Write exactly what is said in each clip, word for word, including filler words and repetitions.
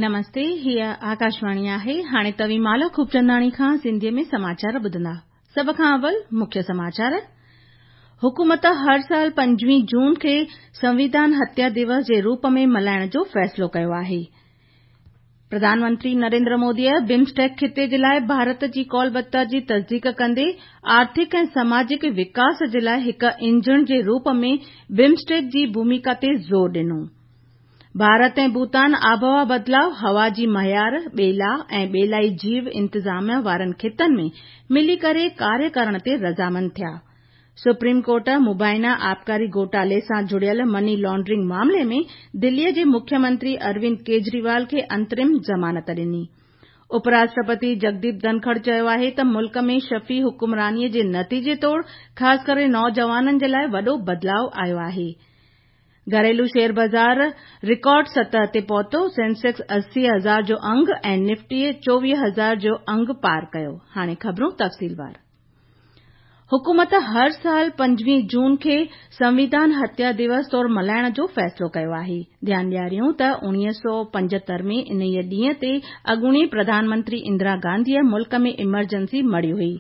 نمستي، هيء آڪاشواڻي آهي. هاڻي توهين مالا خوبچنداڻي کان سنڌيء ۾ سماچار ٻڌندا. سڀ کان اول مکيه سماچار. حڪومت هر سال پنجويهه جون کي سنويڌان هتيا دوس جي روپ ۾ ملهائڻ جو فيصلو ڪيو آهي. پرڌان منتري نريندر موديء بمسٽيڪ خطي جي لاءِ ڀارت جي ڪولبتا جي تصديق ڪندي آرٿڪ ۽ سماجڪ وڪاس جي لاءِ هڪ انجڻ جي روپ ۾ بمسٽيڪ جي ڀوميڪا تي زور ڏنو. ڀارت ۽ ڀوٽان آبهوا بدلاء، هوا جي معيار، ٻيلا ۽ ٻيلائي جيو انتظام وارن خطن ۾ ملي ڪري ڪاريه ڪرڻ تي رضامند ٿيا. سپريم ڪورٽ مبينا آبڪاري گهوٽالي سان جڙيل مني لانڊرنگ معاملي ۾ دليءَ جي مکيه منتري اروند ڪيجريوال کي انترم ضمانت ڏني. اپراشٽرپتي جگديپ ڌنکڙ چيو آهي ته ملڪ ۾ شفي حڪمرانيءَ جي نتيجي طور خاص ڪري نوجوانن جي لاءِ وڏو بدلاءُ آيو آهي. گهريلو شيئر بازار رڪارڊ سطح تي پهتو، سينسيڪس اسي هزار جو انگ ۽ نفٽي چوويهه هزار جو انگ پار ڪيو. هاڻي خبرون تفصيلوار. حڪومت هر سال پنجويهه جون کي سنويڌان هتيا دوس طور ملهائڻ جو فيصلو ڪيو آهي. ڌيان ڏياريون ته اڻويهه سؤ پنجهتر ۾ انهيءَ ڏينهن تي اڳوڻي پرڌان منتري اندرا گانڌيءَ ملڪ ۾ ايمرجنسي مڙهي هئي.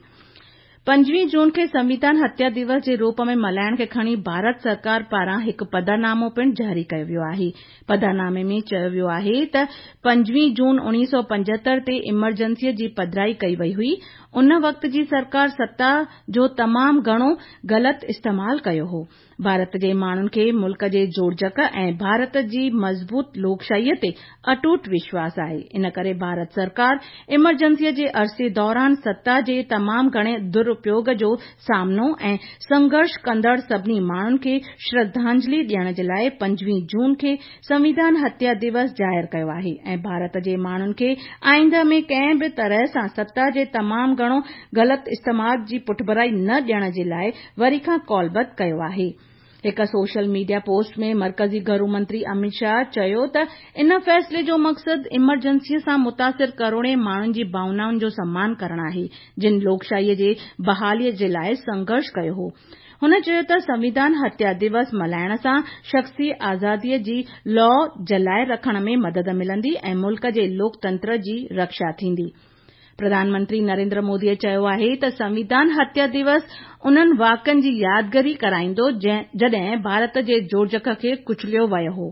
پنجويهه جون کي سنويڌان هتيا دوس جي روپ ۾ ملهائڻ کي کڻي ڀارت سرڪار پاران هڪ پڌرنامو پڻ جاري ڪيو ويو آهي. پڌرنامي ۾ چيو ويو آهي ته پنجويهه جون اڻويهه سؤ پنجهتر تي ايمرجنسيء جي پڌرائي ڪئي وئي هئي. ان وقت جي سرڪار ستا جو تمام گهڻو غلط استعمال ڪيو هو. ڀارت جي ماڻهن کي ملڪ جي جوڙجڪ ۽ ڀارت جي مضبوط لوڪشاهيءَ تي اٽوٽ وشواس آهي. ان ڪري ڀارت سرڪار ايمرجنسيء جي عرصي دوران ستا جي تمام گهڻي دراپيوگ جو سامنو ۽ سنگهرش ڪندڙ سڀني ماڻهن کي شرڌانجلي ڏيڻ جي لاءِ پنجويهه جون کي سنويڌان هتيا دوس ظاهر ڪيو آهي ۽ ڀارت جي ماڻهن کي آئنده ۾ ڪنهن به طرح سان ستا جي تمام گهڻو غلط استعمال جي پٺڀرائي نه ڏيڻ جي لاءِ وري کان ڪالبڌ ڪيو آهي. هڪ سوشل ميڊيا پوسٽ ۾ مرڪزي گهرو منتري امت شاهه چيو ته ان فيصلي جو مقصد ايمرجنسيءَ سان متاثر ڪروڙين ماڻهن جي ڀاونائن جو سمان ڪرڻ آهي، جن لوڪشاهيءَ جي بحاليءَ جي لاءِ سنگهرش ڪيو هو. هن چيو ته سنويڌان هتيا دوس ملهائڻ سان شخصي آزاديءَ جي لو جلائي رکڻ ۾ مدد ملندي ۽ ملڪ جي لوڪتنتر جي رڪشا ٿيندي. پرڌان منتري نريندر موديءَ چيو آهي ته سنويڌان هتيا دوس انهن واقعن جي يادگيري ڪرائيندو جڏهن ڀارت جي جوڙجڪ کي ڪچليو ويو هو.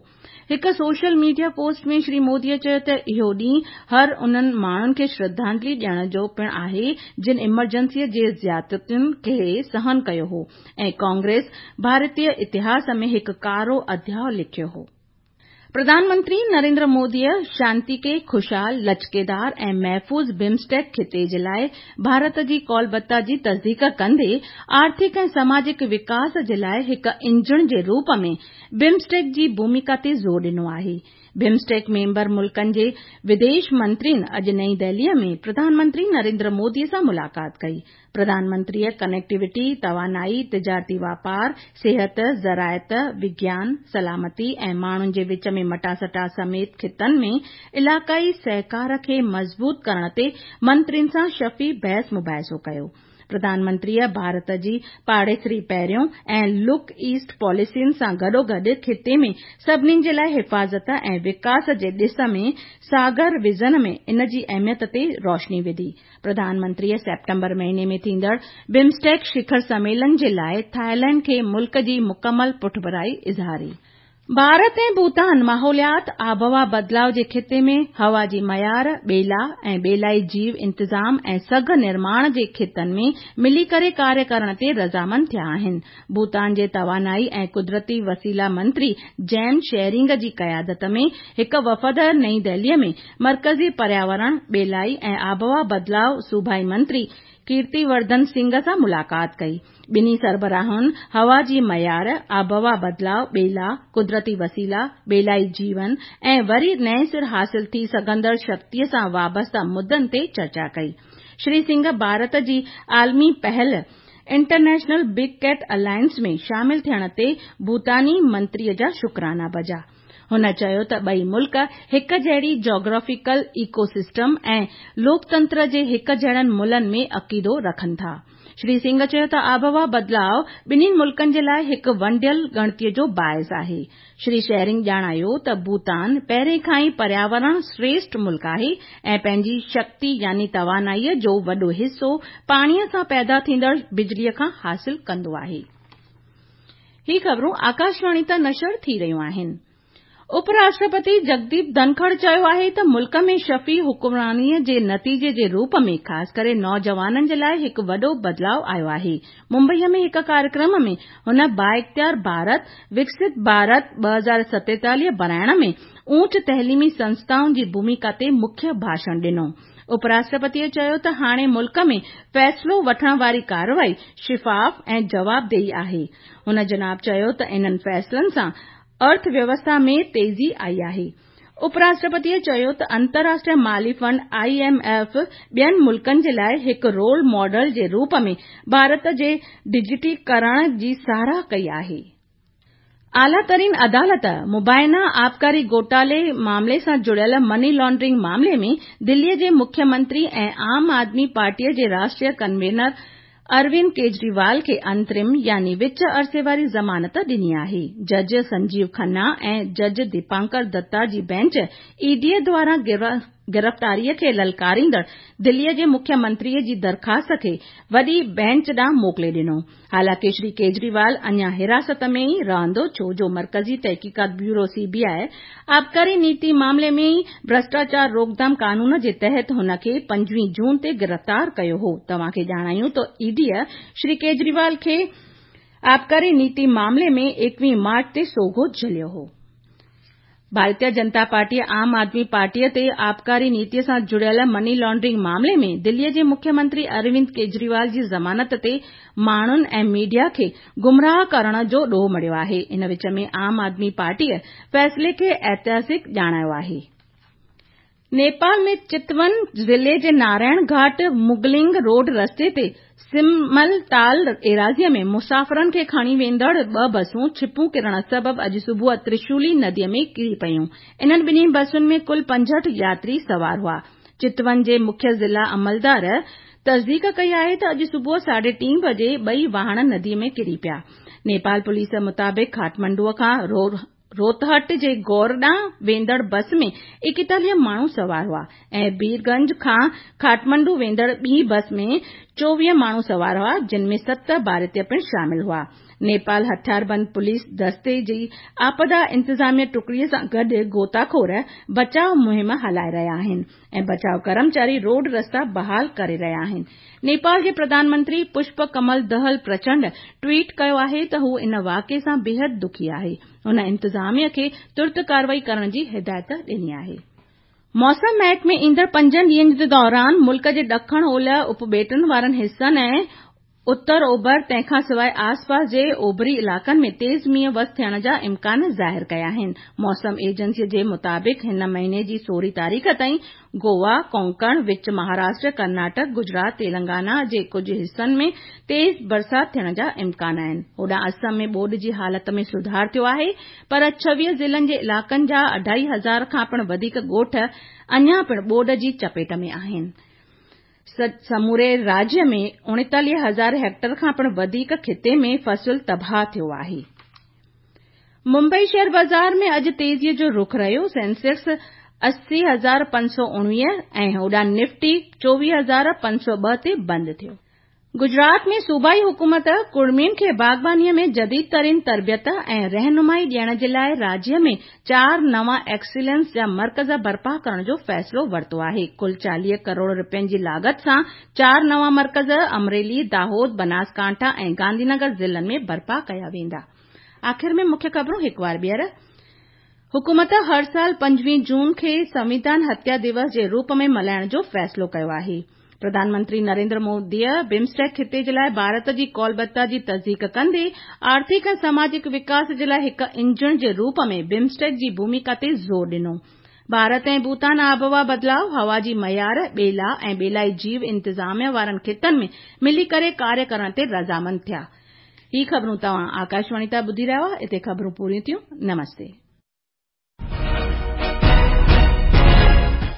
هڪ سوشل ميڊيا پوسٽ ۾ شري موديءَ چيو ته اهو ڏينهن هر انهن ماڻهن کي شرڌانجلي ڏيڻ جو پڻ آهي جن ايمرجنسيء جي زيادتين کي سهن ڪيو هو ۽ ڪانگريس ڀارتيه اتهاس ۾ هڪ ڪارو اڌياءُ لکيو هو. پرڌان منتري نريندر موديءَ شانتيڪي، خوشحال، لچڪيدار ۽ محفوظ بمسٽيڪ خطي جي لاءِ ڀارت جي ڪولبتا جي تصديق ڪندي آرٿڪ ۽ سماجڪ وڪاس جي لاءِ هڪ انجڻ جي روپ ۾ بمسٽيڪ جي ڀوميڪا تي زور ڏنو آهي. بمسٽيڪ ميمبر ملڪن جي وديش منترين اڄ نئين دهليءَ ۾ پرڌان منتري نريندر موديءَ سان ملاقات ڪئي. پرڌان منتريءَ ڪنيڪٽيوٽي، توانائي، تجارتي واپار، صحت، زراعت، وگيان، سلامتي ۽ ماڻهن جي وچ ۾ مٽاسٽا سميت خطن ۾ علائقائي سهڪار کي مضبوط ڪرڻ تي منترين سان شفي بحث مباحثو ڪيو. پرڌان منتريءَ ڀارت جي پاڙيسري پهريون ۽ لڪ ايسٽ پاليسين سان گڏوگڏ خطي ۾ سڀني جي لاءِ حفاظت ۽ وڪاس جي ڏس ۾ ساگر ويزن ۾ ان جي اهميت تي روشني وڌي. پرڌان منتريءَ سيپٽمبر مهيني ۾ ٿيندڙ بمسٽيڪ شکر سميلن جي لاءِ ٿائيلينڊ کي ملڪ جي مڪمل پٺڀرائي اظهاري. ڀارت ۽ ڀوٽان ماحوليات، آبهوا بدلاءُ جي خطي ۾ هوا جي معيار، ٻيلا ۽ ٻيلائي جيو انتظام ۽ سگهه نرماڻ جي خطن ۾ ملي ڪري ڪاريه ڪرڻ تي رضامند ٿيا آهن. ڀوٽان جي توانائي ۽ قدرتي وسيلا منتري جيم شيرنگ جي قيادت ۾ هڪ وفد نئين دهليءَ ۾ مرڪزي پرياورڻ، ٻيلائي ۽ آبهوا بدلاءُ صوبائي منتري ڪيرتي ورڌن سنگهه سان ملاقات ڪئي. ٻنهي سربراهن هوا جي معيار، آبهوا بدلاءُ، ٻيلا، قدرتي وسيلا، ٻيلائي جيون ۽ وري نئين سر حاصل ٿي سگهندڙ شڪتيءَ سان وابسته مدن تي چرچا ڪئي. شري سنگهه ڀارت جي عالمي پهل انٽرنيشنل بگ ڪيٽ الائنس ۾ شامل ٿيڻ تي ڀوٽاني منتريءَ جا شڪرانا بجا. هن چيو ته ٻئي ملڪ هڪ جهڙي جاگرافيڪل ايڪو سسٽم ۽ لوڪتنتر جي هڪ جهڙن ملن ۾ عقيدو رکن ٿا. شري سنگهه چيو ته آبهوا بدلاءُ ٻنهي ملڪن جي لاءِ هڪ ونڊيل ڳڻتيءَ جو باعث آهي. شري شيرنگ ڄاڻايو ته ڀوٽان پهرين کان ئي پرياورڻ شريشٺ ملڪ آهي ۽ پنهنجي شڪتي يعني توانائيءَ جو وڏو حصو پاڻيءَ سان پيدا ٿيندڙ بجليءَ کان حاصل ڪندو آهي. هي خبرون آڪاشواڻي تان نشر ٿي رهيون آهن. اپ راشٽرپتي جگديپ ڌنکڙ چيو آهي ته ملڪ ۾ شفي حڪمرانيءَ جي نتيجي جي روپ ۾ خاص ڪري نوجوانن جي لاءِ هڪ وڏو بدلاءُ آيو آهي. ممبئيءَ ۾ هڪ ڪاريڪرم ۾ هن بااختيار ڀارت، وڪست ڀارت ٻه هزار ستيتاليهه بڻائڻ ۾ اوچ تعليمي سنسٿائن جي ڀوميڪا تي مکيه ڀاشڻ ڏنو. اپ راشٽرپتيءَ چيو ته هاڻي ملڪ ۾ فيصلو وٺڻ واري ڪارروائي شفاف ۽ جوابدهي آهي. هن جناب چيو ته انهن فيصلن سان ارٿ ويوسٿا ۾ تيزي آئي آهي. اپ راشٽرپتيءَ چيو ته انترراشٽريه مالي فنڊ I M F ٻين ملڪن جي لاءِ هڪ رول ماڊل جي روپ ۾ ڀارت جي ڊجيٽيڪرڻ جي ساراهه ڪئي آهي. اعليٰ ترين عدالت مبينا آبڪاري گهوٽالي معاملي سان جڙيل مني لانڊرنگ معاملي ۾ دليءَ جي مکيه منتري ۽ عام آدمي پارٽيءَ جي راشٽريه ڪنوينر اروند ڪيجريوال کي انترم يعني وچ عرصي واري ضمانت ڏني آهي. جج سنجيو کنا ۽ جج ديپانڪر دتا جي بينچ اي ڊيءَ دواران گرفتاريء کي للڪاريندڙ دليءَ جي مکيه منتريءَ جي درخواست کي وڏي بينچ ڏانهن موڪلي ڏنو. حالانڪه شري ڪيجريوال اڃا حراست ۾ ئي رهندو ڇو جو مرڪزي تحقيقات بيورو سي بي آء آبڪاري نيتي معاملي ۾ ئي ڀرشٽاچار روڪٿام قانون جي تحت هن کي پنجويهه جون تي گرفتار ڪيو هو. توهان کي ڄاڻايون ته اي ڊيءَ شري ڪيجريوال کي آبڪاري نيتي معاملي ۾ ايڪويهه مارچ تي سوگهو جهليو هو. ڀارتيه جنتا پارٽيءَ عام آدمي پارٽيءَ تي آبڪاري نيتيءَ سان جڙيل مني لانڊرنگ معاملي ۾ دليءَ جي مکيه منتري اروند ڪيجريوال جي ضمانت تي ماڻهن ۽ ميڊيا کي گمراهه ڪرڻ جو ڏوهه مڙهيو آهي. ان وچ ۾ عام آدمي پارٽيءَ فيصلي کي ايتهاسڪ ڄاڻايو آهي. نيپال ۾ چتون ضلعي جي نارائڻ گهاٽ مگلنگ روڊ رستي تي سملتال ايراضيءَ ۾ مسافرن کي کڻي ويندڙ ٻه بسون ڇپون ڪرڻ سبب اڄ صبح ترشولي نديءَ ۾ ڪري پيون. انهن ٻنهي بسن ۾ ڪل پنجهٺ ياتري سوار هئا. چتون جي مکيه ضلع عملدار تصديق ڪئي آهي ته اڄ صبح ساڍي ٽين بجي ٻئي واهڻ نديءَ ۾ ڪري پيا. نيپال پوليس مطابق کاٺمانڊو کان روتهٽ جي گور ڏانهن ويندڙ بس ۾ ايڪيتاليهه ماڻهو سوار هئا ۽ بيرگنج کان کاٺمانڊو ويندڙ ٻي بس ۾ چوويهه ماڻهو سوار هئا، جن ۾ ست ڀارتيه پڻ شامل هئا. نيپال هٿياربند پوليس دستي جي آپدا انتظاميه ٽڪڙيءَ سان گڏ غوطاخور بچاءُ مهم هلائي رهيا آهن ۽ بچاءُ ڪرمچاري روڊ رستا بحال ڪري رهيا آهن. نيپال جي پرڌان منتري پشپ ڪمل دهل پرچنڊ ٽوئيٽ ڪيو آهي ته هو ان واقعي سان بيحد دکي آهي. هن انتظاميه کي ترت ڪارروائي ڪرڻ جي هدايت ڏني آهي. موسم محڪمي ايندڙ پنجن ڏينهن جي دوران ملڪ جي ڏکڻ اولهه اپٻيٽن وارن حصن ۽ اتر اوڀر تنهن کان سواءِ آسپاس جي اوڀري علائقن ۾ تيز مينهن وس ٿيڻ جا امڪان ظاهر ڪيا آهن. موسم ايجنسي جي مطابق هن مهيني جي سورهين تاريخ تائين گوا، ڪونڪڻ، وچ مهاراشٽر، ڪرناٽڪ، گجرات، تيلنگانا جي ڪجهه حصن ۾ تيز برسات ٿيڻ جا امڪان آهن. هوڏانهن آسام ۾ ٻوڏ جي حالت ۾ سڌار ٿيو آهي پر ڇويهه ضلعن جي علائقن جا اڍائي هزار کان پڻ وڌيڪ ڳوٺ اڃا پڻ ٻوڏ جي چپيٽ ۾ آهن. سموري راجيه ۾ اڻيتاليهه هزار هيڪٽر کان پڻ وڌيڪ خطي ۾ فصل تباهه ٿيو آهي. ممبئي شيئر بازار ۾ اڄ تيزيءَ جو رخ رهيو. سينسيڪس اسي هزار پنج سؤ اڻويهه ۽ هوڏانهن نفٽي چوويهه هزار پنج سؤ ٻه تي بند ٿيو. گجرات ۾ صوبائي حڪومت ڪڙمين کي باغبانيءَ ۾ جديد ترين تربيت ۽ رهنمائي ڏيڻ جي لاءِ راجيه ۾ چار نوان ايڪسيلنس جا مرڪز برپا ڪرڻ جو فيصلو ورتو آهي. ڪل چاليهه ڪروڙ رپين جي لاڳت سان چار نوان مرڪز امريلي، داهود، بناسڪانٺا ۽ گانڌينگر ضلعن ۾ برپا ڪيا ويندا. آخر ۾ مکيه خبرون هڪ وار ٻيهر. حڪومت هر سال پنجويهه جون کي سنوڌان هتيا دوس جي روپ ۾ ملهائڻ جو فيصلو ڪيو آهي. پرڌان منتري نريندر موديءَ بمسٽيڪ خطي جي لاءِ ڀارت جي ڪولبتا جي تصديق ڪندي آرٿڪ ۽ سماجڪ وڪاس جي لاءِ هڪ انجڻ جي روپ ۾ بمسٽيڪ جي ڀوميڪا تي زور ڏنو. ڀارت ۽ ڀوٽان آبهوا بدلاءُ، هوا جي معيار، ٻيلا ۽ ٻيلائي جيو انتظاميه وارن خطن ۾ ملي ڪري ڪاريه ڪرڻ تي رضامند ٿيا. هي خبرون توهان آڪاشواڻي تان ٻڌي رهيا هئا. هتي خبرون پوريون ٿيون. نمستي.